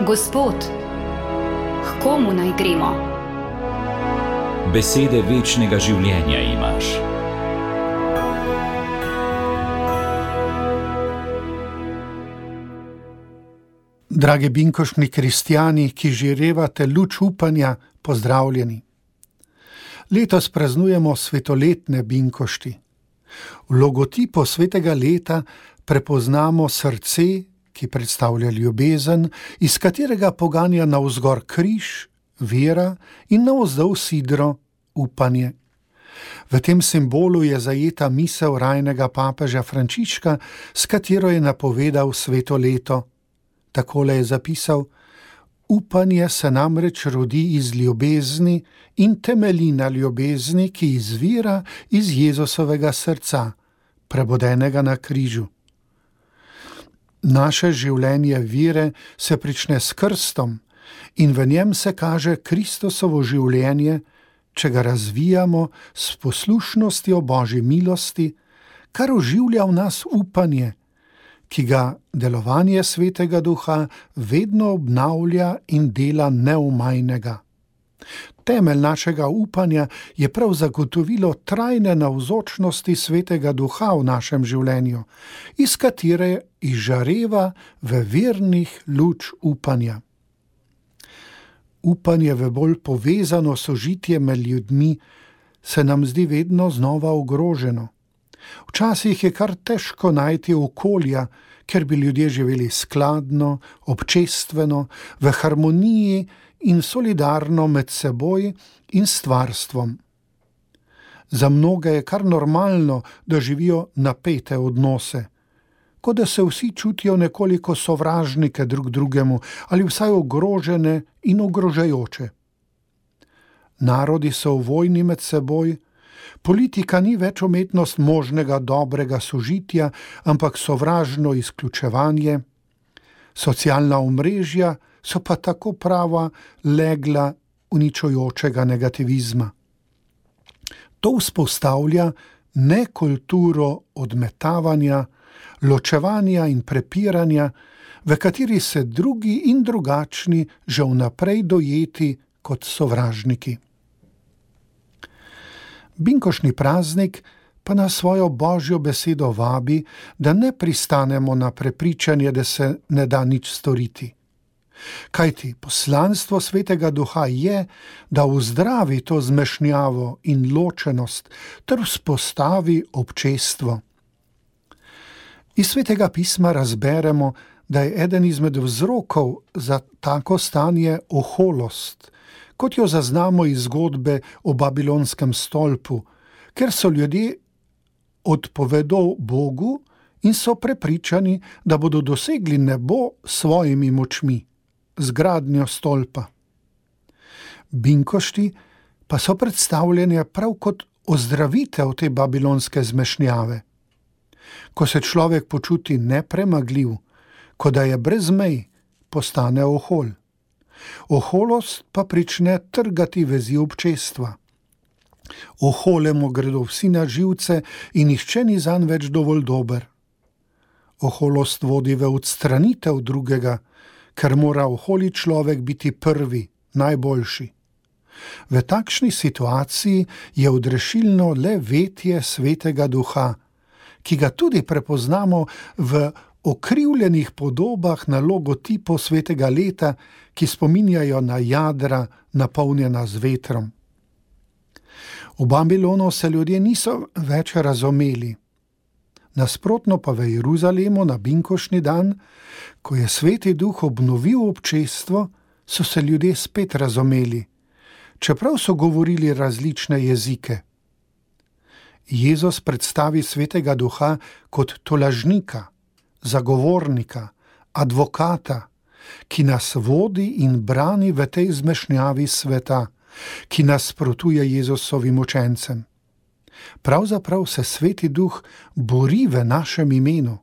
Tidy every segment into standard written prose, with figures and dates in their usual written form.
Gospod, k komu naj gremo? Besede večnega življenja imaš. Dragi binkoštni kristjani, ki žirevate luč upanja, pozdravljeni. Letos praznujemo svetoletne binkošti. V logotipu svetega leta prepoznamo srce, ki predstavlja ljubezen, iz katerega poganja navzgor križ, vera in navzdol sidro, upanje. V tem simbolu je zajeta misel rajnega papeža Frančiška, s katero je napovedal sveto leto. Takole je zapisal: upanje se namreč rodi iz ljubezni in temelji na ljubezni, ki izvira iz Jezusovega srca, prebodenega na križu. Naše življenje vere se prične s krstom in v njem se kaže Kristusovo življenje, če ga razvijamo s poslušnostjo Božji milosti, kar oživlja v nas upanje, ki ga delovanje Svetega Duha vedno obnavlja in dela neomajnega. Temelj našega upanja je prav zagotovilo trajne navzočnosti Svetega Duha v našem življenju, iz katere izžareva v vernih luč upanja. Upanje v bolj povezano sožitje med ljudmi se nam zdi vedno znova ogroženo. Včasih je kar težko najti okolja, ker bi ljudje živeli skladno, občestveno, v harmoniji in solidarno med seboj in stvarstvom. Za mnoge je kar normalno, da živijo napete odnose, kot da se vsi čutijo nekoliko sovražnike drug drugemu ali vsaj ogrožene in ogrožajoče. Narodi so v vojni med seboj, politika ni več umetnost možnega dobrega sožitja, ampak sovražno izključevanje, socialna omrežja so pa tako prava legla uničujočega negativizma. To vzpostavlja nekulturo odmetavanja, ločevanja in prepiranja, v kateri se drugi in drugačni že vnaprej dojeti kot sovražniki. Binkoštni praznik pa nas svojo Božjo besedo vabi, da ne pristanemo na prepričanje, da se ne da nič storiti. Kajti poslanstvo Svetega Duha je, da uzdravi to zmešnjavo in ločenost ter vzpostavi občestvo. Iz Svetega pisma razberemo, da je eden izmed vzrokov za tako stanje oholost, kot jo zaznamo iz zgodbe o babilonskem stolpu, ker so ljudje odpovedo Bogu in so prepričani, da bodo dosegli nebo s svojimi močmi, z gradnjo stolpa. Binkošti pa so predstavljeni prav kot ozdravitev te babilonske zmešnjave. Ko se človek počuti nepremagljiv, ko da je brez mej, postane ohol. Oholost pa prične trgati vezi občestva. Oholemu gredo vsi na živce in nihče ni zanj več dovolj dober. Oholost vodi v odstranitev drugega, ker mora oholi človek biti prvi, najboljši. V takšni situaciji je odrešilno le vetje Svetega Duha, ki ga tudi prepoznamo v okrivljenih podobah na logotipu svetega leta, ki spominjajo na jadra, napolnjena z vetrom. V Babilonu se ljudje niso več razumeli. Nasprotno pa v Jeruzalemu na binkoštni dan, ko je Sveti Duh obnovil občestvo, so se ljudje spet razumeli, čeprav so govorili različne jezike. Jezus predstavi Svetega Duha kot tolažnika, zagovornika, advokata, ki nas vodi in brani v tej zmešnjavi sveta, ki nasprotuje Jezusovim učencem. Pravzaprav se Sveti Duh bori v našem imenu,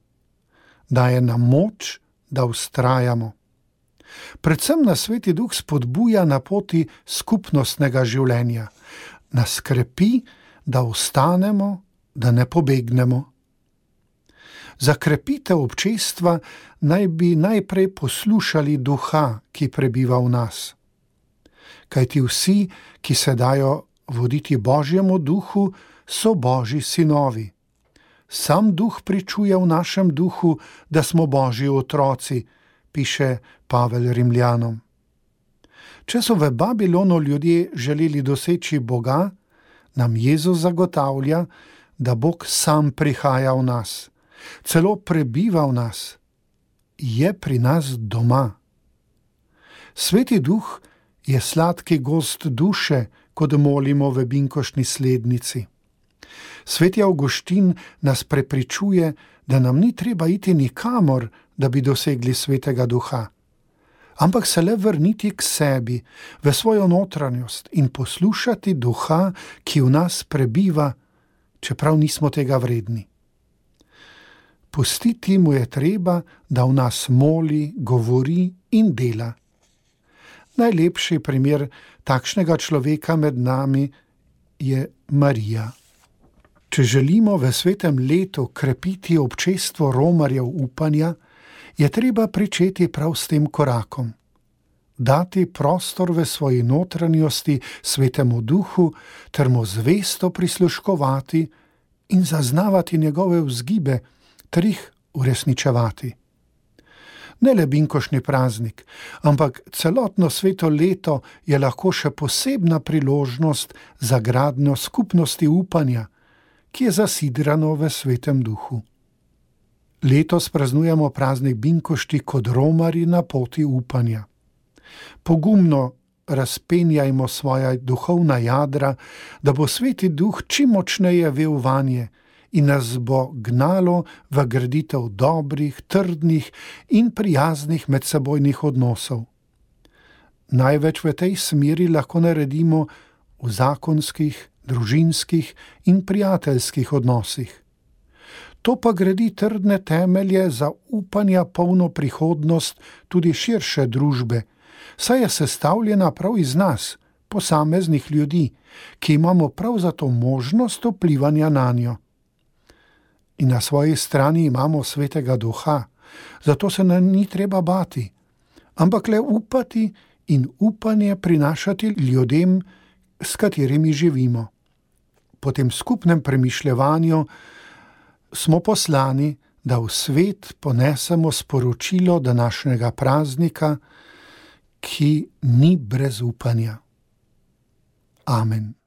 daje nam moč, da vztrajamo. Predvsem nas Sveti Duh spodbuja na poti skupnostnega življenja, nas krepi, da ostanemo, da ne pobegnemo. Za krepitev občestva naj bi najprej poslušali duha, ki prebiva v nas. Kajti vsi, ki se dajo voditi Božjemu duhu, so Božji sinovi. Sam duh pričuje v našem duhu, da smo Božji otroci, piše Pavel Rimljanom. Če so v Babilonu ljudje želeli doseči Boga, nam Jezus zagotavlja, da Bog sam prihaja v nas, celo prebiva v nas, je pri nas doma. Sveti duh je sladki gost duše, kot molimo v binkoštni slednici. Sveti Avguštin nas prepričuje, da nam ni treba iti nikamor, da bi dosegli svetega duha, ampak se le vrniti k sebi, v svojo notranjost in poslušati duha, ki v nas prebiva, čeprav nismo tega vredni. Pustiti mu je treba, da v nas moli, govori in dela. Najlepši primer takšnega človeka med nami je Marija. Če želimo v svetem letu krepiti občestvo romarjev upanja, je treba pričeti prav s tem korakom. Dati prostor v svoji notranjosti svetemu duhu ter mu zvesto prisluškovati in zaznavati njegove vzgibe ter jih uresničevati. Ne le binkoštni praznik, ampak celotno sveto leto je lahko še posebna priložnost za gradnjo skupnosti upanja, ki je zasidrano v svetem duhu. Letos praznujemo praznik binkošti kot romarji na poti upanja. Pogumno razpenjajmo svoja duhovna jadra, da bo sveti duh čim močneje vel vanje in nas bo gnalo v graditev dobrih, trdnih in prijaznih medsebojnih odnosov. Največ v tej smeri lahko naredimo v zakonskih, družinskih in prijateljskih odnosih. To pa gradi trdne temelje za upanja polno prihodnost tudi širše družbe, saj je sestavljena prav iz nas, posameznih ljudi, ki imamo prav zato možnost vplivanja nanjo. In na svoji strani imamo svetega duha, zato se nam ni treba bati, ampak le upati in upanje prinašati ljudem, s katerimi živimo. Po tem skupnem premišljevanju smo poslani, da v svet ponesemo sporočilo današnjega praznika, ki ni brez upanja. Amen.